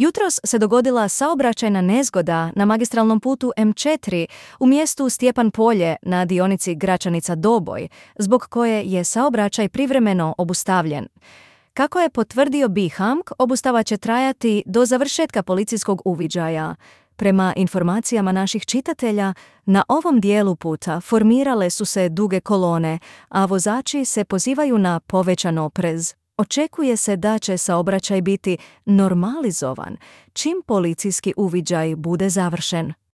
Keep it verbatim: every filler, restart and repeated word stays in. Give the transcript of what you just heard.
Jutros se dogodila saobraćajna nezgoda na magistralnom putu em četiri u mjestu Stjepan Polje na dionici Gračanica-Doboj, zbog koje je saobraćaj privremeno obustavljen. Kako je potvrdio B H A M K, obustava će trajati do završetka policijskog uviđaja. Prema informacijama naših čitatelja, na ovom dijelu puta formirale su se duge kolone, a vozači se pozivaju na povećan oprez. Očekuje se da će saobraćaj biti normalizovan čim policijski uviđaj bude završen.